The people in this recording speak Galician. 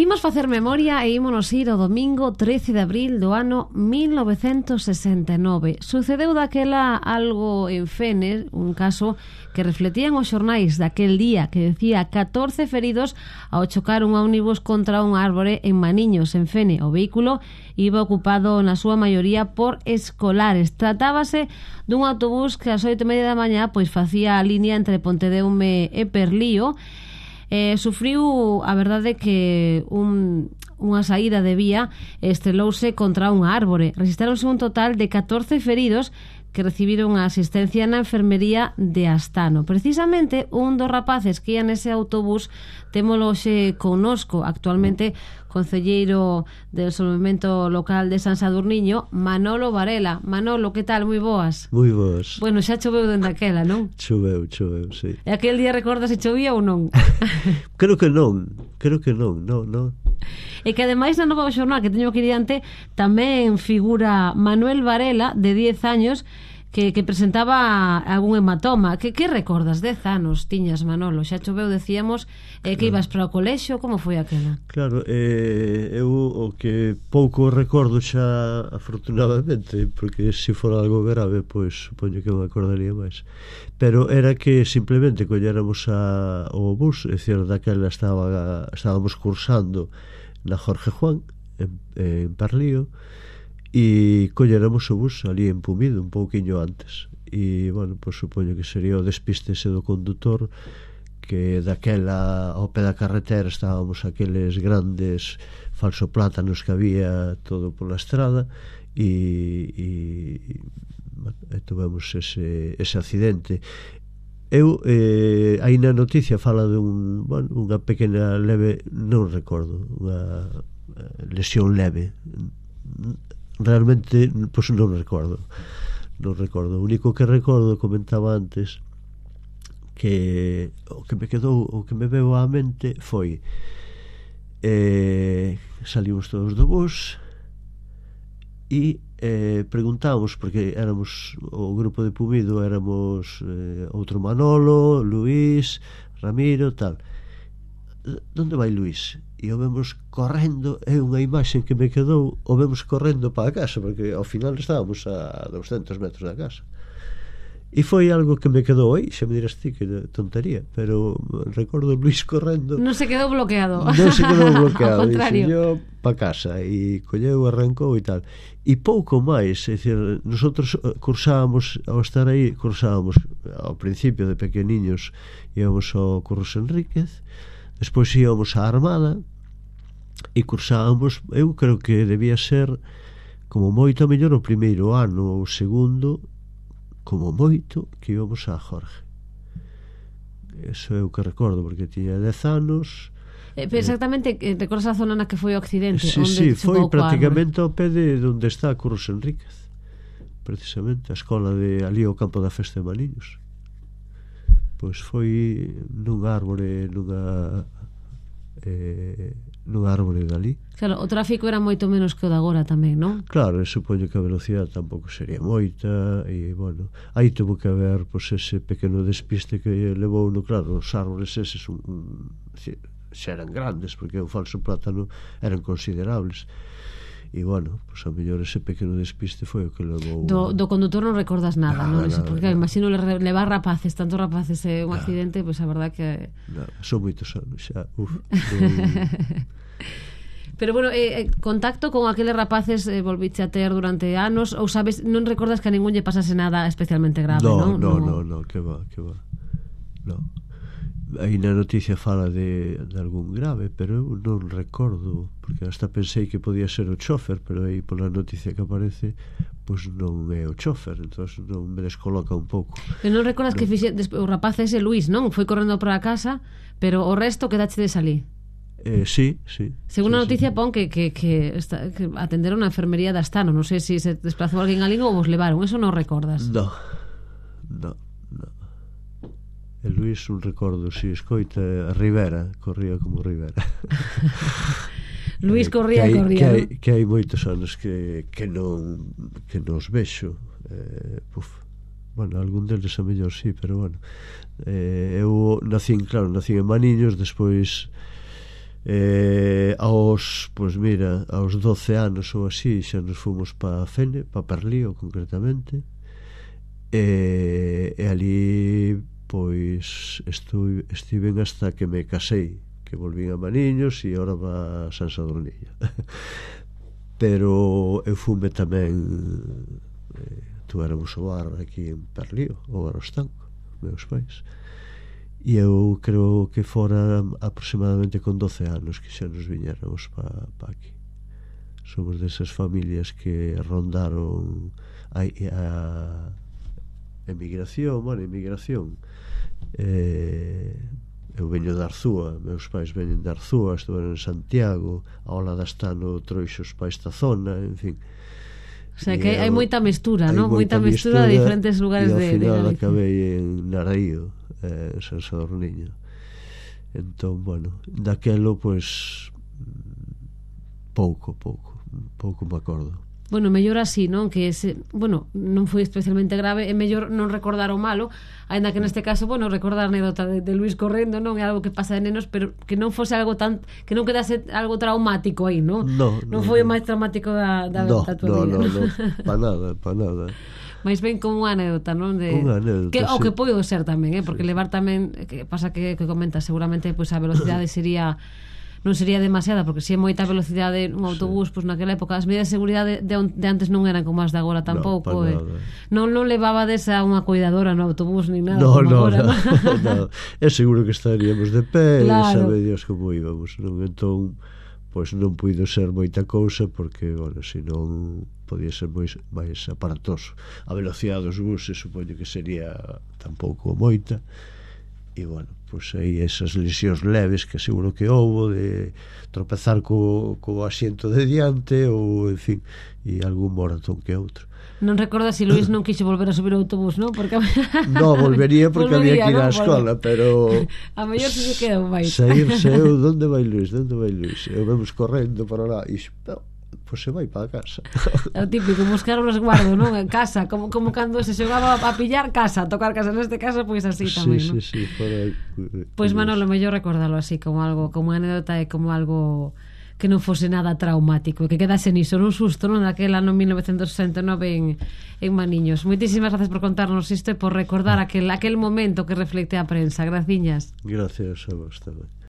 Imos facer memoria e ímonos ir ao domingo 13 de abril do ano 1969. Sucedeu daquela algo en Fene, un caso que refletían os xornais daquel día, que decía 14 feridos ao chocar un ómnibus contra un árbore en Maniños, en Fene. O vehículo iba ocupado na súa maioría por escolares. Tratábase dun autobús que ás 8:30 da mañá pois facía a línea entre Pontedeume e Perlío. Sufriu, a verdade, que unha saída de vía estrelouse contra un árbore. Registraronse un total de 14 feridos que recibiron a asistencia na enfermería de Astano. Precisamente, un dos rapaces que ia nese autobús témolo hoxe connosco, actualmente concelleiro del Desenvolvemento Local de San Sadurniño, Manolo Varela. Manolo, que tal? Moi boas. Moi boas. Bueno, xa choveu dende aquela, non? Choveu, sí. E aquel día recordas se chovía ou non? Creo que non, non. E que ademais na nova xornal que teño aquí diante tamén figura Manuel Varela, de 10 años, que presentaba algún hematoma. Que recordas? 10 anos tiñas, Manolo, xa choveu, decíamos, que ibas para o colexio, como foi aquela? Claro, eu o que pouco recordo xa, afortunadamente, porque se fora algo grave, pois supoño que me acordaría máis, pero era que simplemente colléramos o bus, é dicir, daquela estábamos cursando na Jorge Juan en Parlío, e colléramos o bus ali en Pumido un pouquiño antes, e bueno, pois supoño que sería o despiste ese do condutor, que daquela ao pé da carretera estábamos aqueles grandes falsoplátanos que había todo pola estrada, e tuvemos ese accidente. Eu, aí na noticia fala unha pequena leve, non recordo, unha lesión leve. Realmente, pois non recordo. O único que recordo, comentaba antes, que o que me veu á mente foi salimos todos do bus e preguntamos, porque éramos o grupo de Pumido, éramos outro Manolo, Luís, Ramiro, tal. Onde vai Luís? E o vemos correndo, é unha imaxe que me quedou, o vemos correndo para a casa, porque ao final estábamos a 200 metros da casa. E foi algo que me quedou aí, xa me dirás ti que tontería, pero recordo Luís correndo. Non se quedou bloqueado. Non se quedou bloqueado. Ao contrario. Dixo, yo para casa, e colleu, arrancou e tal. E pouco máis, é dicir, nosotros cursábamos, ao estar aí, cursábamos ao principio de pequeniños, íbamos ao Curros Enríquez, despois íbamos á Armada, e cursábamos, eu creo que debía ser como moito a mellor o primeiro ano ou o segundo, como moito que íbamos a Jorge. Eso é o que recordo, porque tiña 10 anos. Exactamente, recordas a zona na que foi o accidente? Sí, foi prácticamente ao pé de onde está Curros Enríquez, precisamente a escola de ali ao campo da Festa de Maniños. Pois foi nun árbore dali. Claro, o tráfico era moito menos que o de agora tamén, non? Claro, supoño que a velocidade tampouco sería moita, e, bueno, aí tuvo que haber, pois, ese pequeno despiste que levou, no, claro, os árboles eses xa eran grandes, porque o falso plátano eran considerables, e, bueno, pois, a mellor ese pequeno despiste foi o que levou... Do condutor non recordas nada, non? Porque, imagino, levar rapaces, tantos rapaces un accidente, pois, a verdad que... Son moitos anos xa, Pero, bueno, contacto con aqueles rapaces volviche a ter durante anos, ou sabes, non recordas que a ningún lle pasase nada especialmente grave, non? No, que va. No. Aí na noticia fala de algún grave, pero eu non recordo, porque hasta pensei que podía ser o chofer, pero aí pola noticia que aparece, pois non é o chofer, entón non me descoloca un pouco. Pero non recordas que o rapaz ese Luís, non? Foi correndo para a casa, pero o resto quedache de salir. Sí. Según a noticia pon que atenderon a enfermería de Astano. Non sei se desplazou alguén ali ou vos levaron. Eso non recordas? No. El Luís un recordo, si escoita a Rivera, corría como Rivera. Luís corría. Que hai moitos anos que non os vexo. Bueno, algún deles a mellor sí, pero bueno, eu nací en Maniños, despois ao pois mira, aos 12 anos ou así xa nos fomos para Fene, para Perlío concretamente, e ali pois estiven hasta que me casei, que volvín a Maniños e agora va a San Sadurniño. Pero eu fume tamén, tuéramos o bar aquí en Perlío, o bar Ostanco, meus pais, e eu creo que fora aproximadamente con 12 anos que xa nos viñéramos pa aquí. Somos desas familias que rondaron a emigración, eu veño de Arzúa, meus pais veñen de Arzúa, estuveron en Santiago, a ola da Stano trouxe os pais da zona, en fin. O sea que hai moita mestura, non? Moita mestura de diferentes lugares de Galicia. E ao final acabei en Naraío, en San Sadurniño. Entón, bueno, daquelo, pois pouco me acordo. Bueno, mellor así, non? Que bueno, non foi especialmente grave, é mellor non recordar o malo, aínda que neste caso, bueno, recordar a anécdota de Luis correndo, non é algo que pasa de nenos, pero que non fose algo tan, que non quedase algo traumático aí, non? Non foi o máis traumático da tua vida. No, para nada. Mais ben como unha anécdota, non? Unha anécdota, que, o que pode ser tamén, porque levar tamén, que pasa que comenta, seguramente pois a velocidade non sería demasiada, porque se é moita velocidade un autobús, pois naquela época as medidas de seguridade de antes non eran como as de agora tampouco, non levabades a unha cuidadora no autobús ni nada. No. É seguro que estaríamos de pé, claro. Sabe Dios como íbamos, non? Entón, pois non puido ser moita cousa, porque, bueno, senón podía ser máis aparatoso. A velocidade dos buses supoño que sería tampouco moita, e, bueno, pois aí esas lesións leves que seguro que houbo, de tropezar co asiento de diante, ou, en fin, e algún moratón que outro. Non recordas se Luís non quixo volver a subir o autobús, non? Porque no, volvería porque había que ir á escola, pero a mellor se quedou máis. Saírse eu, onde vai Luís? Eu vemos correndo para lá e pois se vai para a casa. É o típico, buscar un resguardo, non? En casa, como cando se xogaba a pillar casa, a tocar casa, neste caso, pois así tamén, non? Sí, pois Manolo, mellor recordarlo así, como algo, como anécdota e como algo que non fose nada traumático, que quedase niso, nun susto, non? Daquel ano 1969 en Maniños. Moitísimas gracias por contarnos isto e por recordar aquel momento que reflecte a prensa. Graciñas. Gracias a vos tamén.